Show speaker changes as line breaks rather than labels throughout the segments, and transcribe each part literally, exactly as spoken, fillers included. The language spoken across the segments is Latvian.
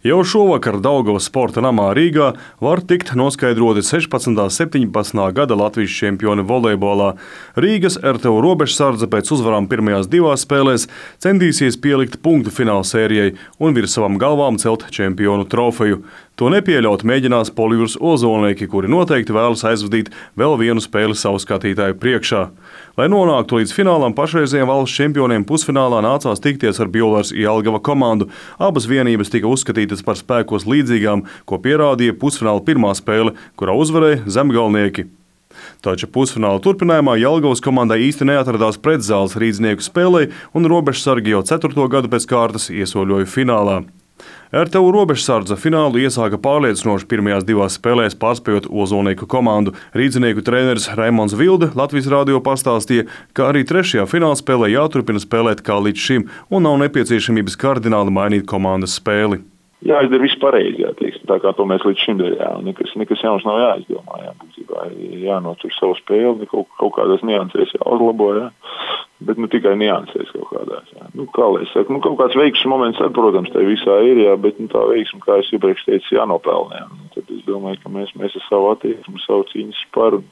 Jau šovakar Daugavas sporta namā Rīgā var tikt noskaidroti sešpadsmitā un septiņpadsmitā gada Latvijas čempioni volejbolā. Rīgas R T U robežsardze pēc uzvarām pirmajās divās spēlēs centīsies pielikt punktu fināla sērijai un virs savām galvām celt čempionu trofeju. To nepieļaut mēģinās Polijūras ozolnieki, kuri noteikti vēlas aizvadīt vēl vienu spēli savu skatītāju priekšā. Lai nonāktu līdz finālam, pašreizējiem valsts čempioniem pusfinālā nācās tikties ar Bjolars Jelgava komandu. Abas vienības tika uzskatītas par spēkos līdzīgām, ko pierādīja pusfināla pirmā spēle, kurā uzvarēja zemgalnieki. Taču pusfināla turpinājumā Jelgavas komandai īsti neatradās pretzāles rīdznieku spēlei, un robežsargi jau ceturto gadu pēc kārtas iesoļoja finālā. R T U robežsardze finālu iesāka pārliecinoši pirmajās divās spēlēs, pārspējot ozolnieku komandu. Rīdzinieku treneris Raimons Vilde Latvijas radio pastāstīja, ka arī trešajā fināla spēlē jāturpina spēlēt kā līdz šim un nav nepieciešamības kardināli mainīt komandas spēli.
Jāizdara viss pareizi, jā, teiksim, tā kā to mēs līdz šim darījām. Nekas, nekas jauns nav jāizdomā, jā, būtībā jānotur savu spēli, kaut, kaut kādās niansēs jāuzlabo, jā. Bet nu tikai niansēs kaut kādās, jā. Nu, kā lai saka, nu kaut kāds veiksmes moments, tad, protams, tā visā ir, jā, bet nu, tā veiksme, kā es iepriekš teicu, jānopelnē. Nu, tad es domāju, ka mēs, mēs ar savu attieksmi, savu cīņas sparu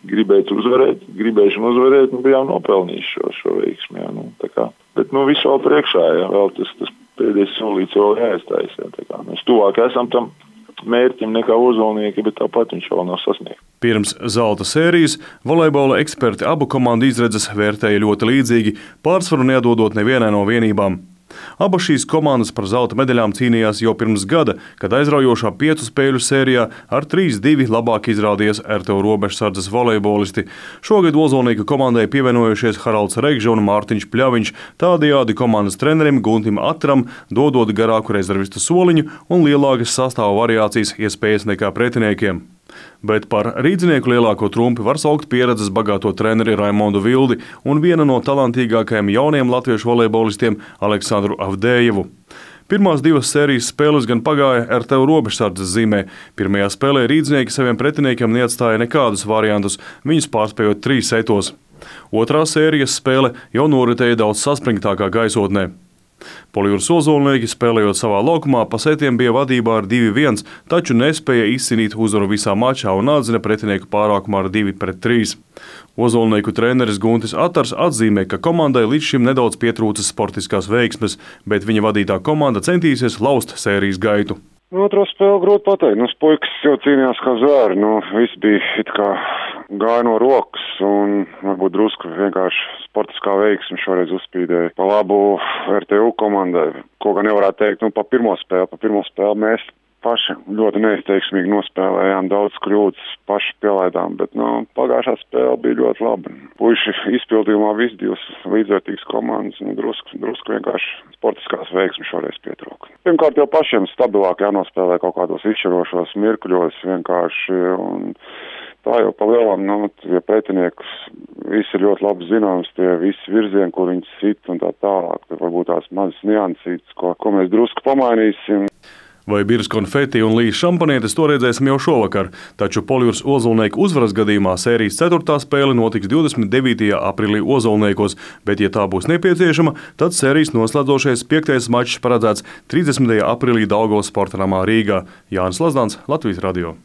gribētu uzvarēt, gribēšanu uzvarēt, nu bijām nopelnījuši šo, šo veiksmi, jā, nu, tā kā. Bet nu viss vēl priekšā, jā, vēl tas, tas pēdējais solīts vēl jāiztais, jā, tā kā. Mēs tuvāk esam tam mērķim nekā ozolnieki, bet tāpat viņš vēl nav sasniegts.
Pirms zelta sērijas volejbola eksperti abu komandu izredzes vērtēja ļoti līdzīgi, pārsvaru neatdodot nevienai no vienībām. Abas šīs komandas par zelta medaļām cīnījās jau pirms gada, kad aizraujošā piecu spēļu sērijā ar trīs divi labāk izrādījās R T U robežsardzes volejbolisti. Šogad ozolnieku komandai pievienojušies Haralds Regža un Mārtiņš Pļaviņš, tādējādi komandas trenerim Guntim Atram dodot garāku rezervistu soliņu un lielākas sastāva variācijas iespējas nekā pretiniekiem. Bet par rīdzinieku lielāko trumpi var saukt pieredzes bagāto treneri Raimondu Vildi un viena no talantīgākajiem jauniem latviešu volejbolistiem Aleksandru Avdejevu. Pirmās divas sērijas spēles gan pagāja R T U robežsardzes zīmē. Pirmajā spēlē rīdzinieki saviem pretiniekiem neatstāja nekādus variantus, viņus pārspējot trīs setos. Otrā sērijas spēle jau noritēja daudz saspringtākā gaisotnē. Polijūras ozolnieki, spēlējot savā laukumā, pa setiem bija vadībā ar divi viens, taču nespēja izcīnīt uzvaru visā mačā un atzina pretinieku pārākumā ar divi pret trīs. Ozolnieku treneris Guntis Atars atzīmē, ka komandai līdz šim nedaudz pietrūcis sportiskās veiksmes, bet viņa vadītā komanda centīsies laust sērijas gaitu.
Otro spēli grūti pateikt. Nu, puikas jau cīnījās kā zvēri. Nu, viss bija it kā gāja no rokas un varbūt drusku vienkārši sportiskā veiksme šoreiz uzspīdēja pa labu R T U komandai. Ko gan nevarētu teikt, nu, pa pirmo spēli. Pa pirmo spēli mēs paši ļoti neizteiksmīgi nospēlējām, daudz kļūdas paši pielaidām, bet nu, pagājušā spēle bija ļoti laba. Puiši izpildījumā visi divas līdzvērtīgas komandas, nu, drusku, drusku vienkārši sportiskās veiksmes šoreiz pietrūka. Pirmkārt jau pašiem stabilāk jānospēlē kaut kādos izšķirošos mirkļos vienkārši, un tā jau pa lielam, nu, ja pretiniekus visi ir ļoti labi zināms, tie visi virzieni, kur viņi sit un tā tālāk, tad varbūt tās mazas niansītas, ko, ko mēs drusku pamainīsim.
Vai birs konfeti un līs šampanietes, to redzēsim jau šovakar, taču Polijūras ozolnieku uzvaras gadījumā sērijas ceturtā spēle notiks divdesmit devītajā aprīlī Ozolniekos, bet, ja tā būs nepieciešama, tad sērijas noslēdzošais piektais mačs paredzēts trīsdesmitajā aprīlī Daugavas sporta namā Rīgā. Jānis Lazdāns, Latvijas radio.